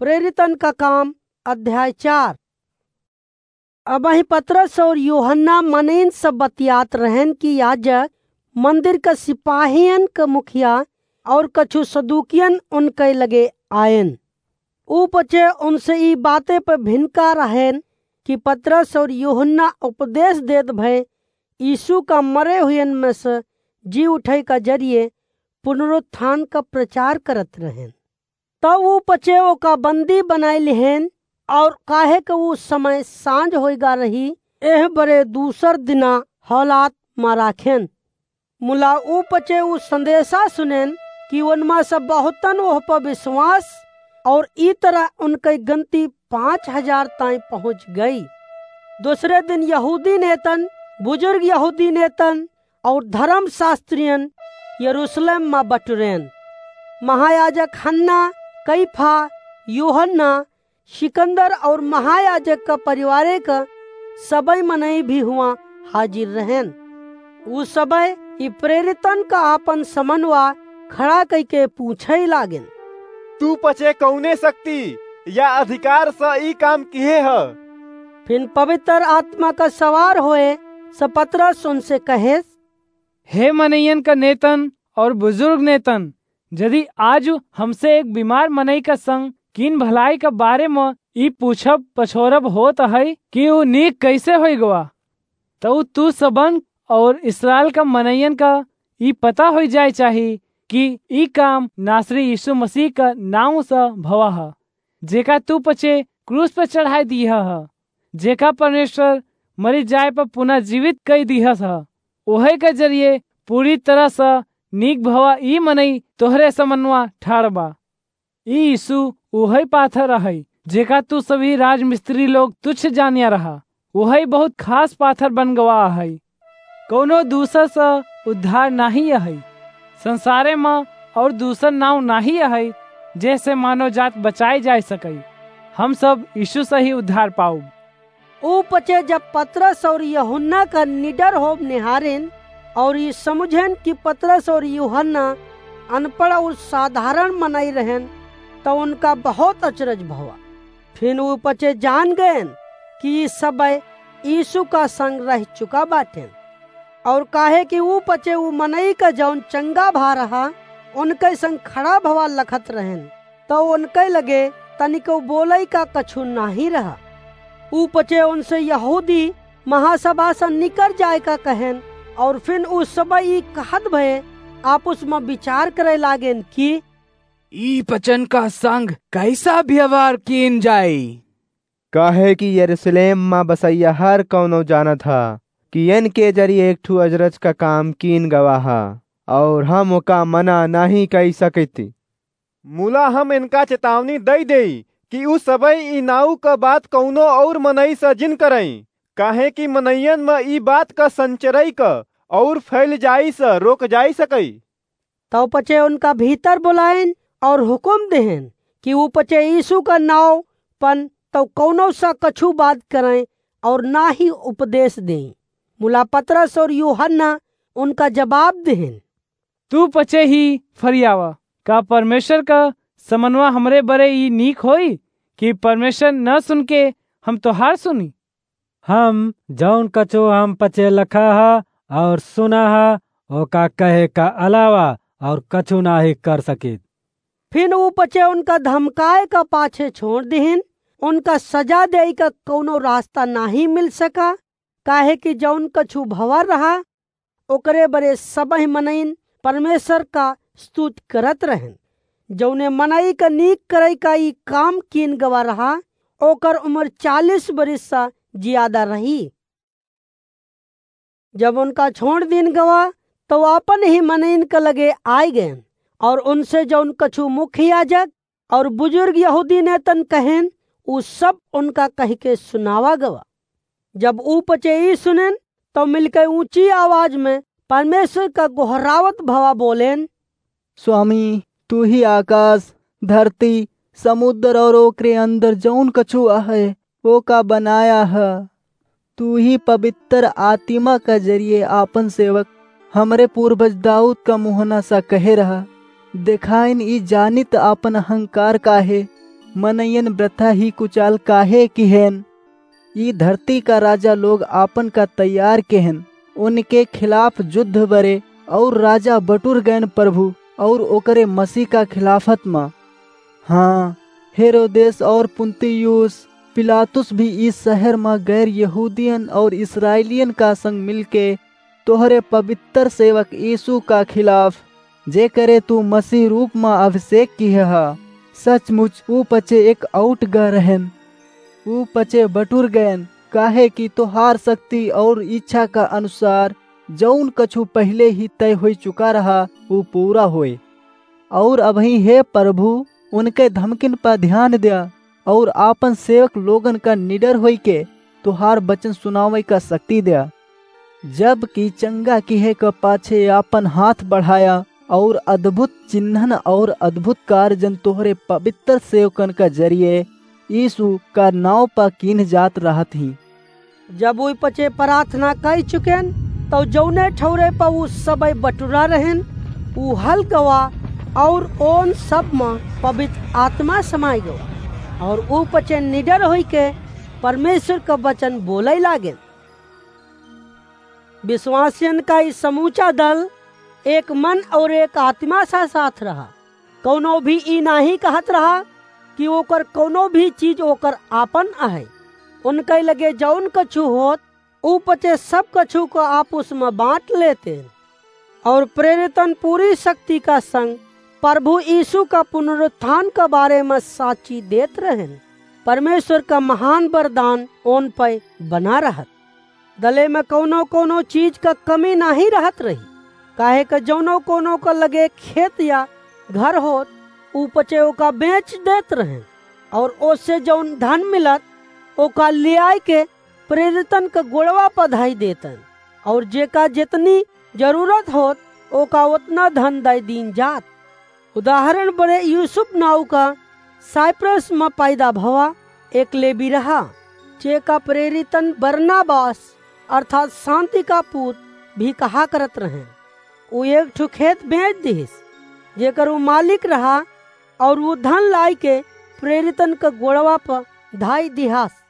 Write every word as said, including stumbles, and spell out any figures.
प्रेरितन का काम, अध्याय चार। अबहीं पतरस और यूहन्ना मनइन से बतियात रहन कि याजक, मंदिर का सिपाहियन का मुखिया और कछु सदूकियन उनके लगे आयन। ऊ पचे उनसे ई बाते पे भिनका रहन कि पतरस और यूहन्ना उपदेश देत भए यीशु का मरे हुयन में से जी उठे का जरिए पुनरुत्थान का प्रचार करत रहन। तब ऊ पचे ओका बंदी बनाए लिहेन, और काहे के ऊ समय सांझ होइगा रही, एह बरे दूसर दिना हौलात मा राखेन। मुला ऊ पचे ऊ संदेशा सुनेन कि उनमा से बहुतन ओह पर विश्वास, और ई तरह उनके गनती पाँच हजार ताई पहुँच गई। दूसरे दिन यहूदी नेतन, बुजुर्ग यहूदी नेतन और धर्मशास्त्रियन यरूशलेम मा बटुरेन। महायाजक हन्ना, कैफा, यूहन्ना, सिकंदर और महायाजक का परिवारे का सबई मनई भी हुआ हाजिर रहेन। ऊ सबई ई प्रेरितन का आपन समनवा खड़ा कइके पूछे लागेन, "तू पचे कौने शक्ति या अधिकार से ई काम किहे ह?" फिन पवित्र आत्मा का सवार होए से पतरस उनसे कहेस, "हे मनइयन का नेतन और बुजुर्ग नेतन, यदि आज हमसे एक बीमार मनई का संग कीन भलाई का बारे में ई पूछब पछोरब होत है कि ऊ नीक कैसे होई गवा, तो तू सबन और इसराइल का मनइयन का ई पता होई जाए चाही कि ई काम नासरी यीशु मसीह का नाम से भवा ह, जेका तू पचे क्रूस पे चढ़ाई दिया ह, जेका परमेश्वर मरी जाए पर पुनर्जीवित कई दिहस ह। ओहे के जरिए पूरी तरह से नीक भवा ई मनई तोहरे समनवा ठाड़ बा। ई यीशु ओहे पाथर रहई, जेका तू सभी राजमिस्त्री लोग तुच्छ जानिया रहा। ओहे बहुत खास पाथर बन गवा है। कौनो दूसर से उद्धार नाही है। संसारे में और दूसर नाव नाही है, जैसे मानव जात बचाई जाए सके। हम सब यीशु से ही उद्धार पाउब।" ऊ पचे जब पतरस और यूहन्ना का निडर होब निहारेन और ई समुझेन कि पतरस और यूहन्ना अनपढ़ और साधारण मनई रहेन, तो उनका बहुत अचरज भवा। फिन ऊ पचे जान गएन कि ई सबे यीशु का संग रह चुका बाटेन। और काहे कि ऊ पचे ऊ मनई का जौन चंगा भा रहा, उनके संग खड़ा भवा लखत रहेन, तो उनके लगे तनिको बोलई का कछु नाही रहा। ऊ पचे उनसे यहूदी महासभा से निकर जाए का कहेन, और फिन ऊ सबे ई कहत भए आपस में विचार करे लागेन कि ई पचन का संग कैसा व्यवहार कीन जाई? काहे कि यरूशलेम मा बसैया हर कौनो जानत ह कि इनके जरिए एक ठू अजरज का काम कीन गवा ह, और हम ओका मना नहीं कई सकित। मुला हम इनका चेतावनी दई देई कि उ सबई ई नाऊ क बात कौनो और मनई से जिन करई, काहे कि मनइयन में ई बात क संचरई क और फैल जाई से रोक जाई सकई। तौ पचे उनका भीतर बुलाइन और हुकुम देहेन कि ऊ पचे यीशु का नाव पन तौ कौनो सा कछु बात करें और ना ही उपदेश दें। मुला पतरस और यूहन्ना उनका जवाब देहेन, तू पचे ही फरियावा, का परमेश्वर का समनवा हमरे बरे ई नीक होई कि परमेश्वर न सुन के हम तोहार सुनी? हम जौन कछु हम पचे लखा ह और सुना ह, ओका कहे का अलावा और कछु नाही कर सकित। फिन ऊ पचे उनका धमकाए का पाछे छोड़ दिहिन। उनका सजा देई का कौनो रास्ता नाही मिल सका, काहे कि जौन कछु भवा रहा, ओकरे बरे सबही मनइन परमेश्वर का स्तुति करत रहन। जौने मनई का नीक करई का ई काम कीन गवा रहा, ओकर उमर चालीस बरिस सा जियादा रही। जब उनका छोड़ दीन गवा, तो आपन ही मनइन के लगे आय गएन और उनसे जौन कछु मुख्य याजक और बुजुर्ग यहूदी नेतन कहेन, ऊ सब उनका कह के सुनावा गवा। जब ऊ पचे ई सुनेन, तो मिलके ऊंची आवाज में परमेश्वर का गोहरावत भवा बोलेन, स्वामी, तू ही आकाश, धरती, समुद्र और ओकरे अंदर जौन कछु आहे, ओका बनाया ह। तू ही पवित्र आत्मा का जरिए आपन सेवक हमरे पूर्वज दाऊद का मुहना सा कहे रहा, देखाइन ई जानित आपन अहंकार का है, मनयन ब्रथा ही कुचाल काहे किहेन? ई धरती का राजा लोग आपन का तैयार केहेन, उनके खिलाफ जुद्ध बरे, और राजा बटुर गएन प्रभु, और ओकरे मसीह का खिलाफत मा। हाँ, हेरोदेस और पुन्तियुस पिलातुस भी इस शहर मा गैर यहूदियन और इस्राएलियन का संग मिलके तोहरे पवित्र सेवक यीशु का खिलाफ, जेकरे तू मसीह रूप मा अभिषेक किहे हा, सचमुच ऊ पचे एक आउट ग रहन। ऊ पचे बटुर गएन, काहे कि तोहार शक्ति और इच्छा का अनुसार जौन कछु पहिले ही तय होइ चुका रहा, ऊ पूरा होए। और अबहीं हे प्रभु, उनके धमकिन पर ध्यान द्या और आपन सेवक लोगन का निडर होइके तोहार वचन सुनावे का शक्ति द्या। जबकि चंगा किहे क पाछे आपन हाथ बढ़ाया और अद्भुत चिन्हन और अद्भुत कार्यन तोहरे पवित्र सेवकन का जरिए यीशु का नाव पर कीन जात रहत ही। जब ऊ पचे प्रार्थना कई चुकेन, तौ जौने ठौरे पर ऊ सबई बटुरा रहेन, ऊ हल गवा और ओन सब में पवित्र आत्मा समाई गवा और ऊ पचे निडर होइके परमेश्वर का वचन बोलई लागेन। विश्वासियन का ई समूचा दल एक मन और एक आत्मा सा साथ रहा। कौनो भी ई नाही कहत रहा कि ओकर कौनो भी चीज ओकर आपन आहे। उनके लगे जौन कछु होत, ऊ पचे सब कछु को आपुस में बाँट लेते। और प्रेरितन पूरी शक्ति का संग प्रभु यीशु का पुनरुत्थान का बारे में साक्षी देत रहेन। परमेश्वर का महान वरदान ओन पे बना रहत। दले में कौनो कौनो चीज का कमी नाही रहत रही, काहे क जौनो कौनो का लगे खेत या घर होत, ऊ पचे ओका बेच देत रहेन, और ओसे जौन धन मिलत, ओका लियाई के प्रेरितन क गोड़वा पर धई देतन, और जेका जितनी जरूरत होत, ओका उतना धन दई दीन जात। उदाहरण बड़े यूसुफ नाव का साइप्रस में पैदा भवा एक लेवी रहा, जेका प्रेरितन बरनाबास अर्थात शांति का पूत भी कहा करत रहे। ऊ एक ठो खेत बेच दिहिस, जेकर ऊ मालिक रहा, और ऊ धन लाई के प्रेरितन क गोड़वा पर धाई दिहास।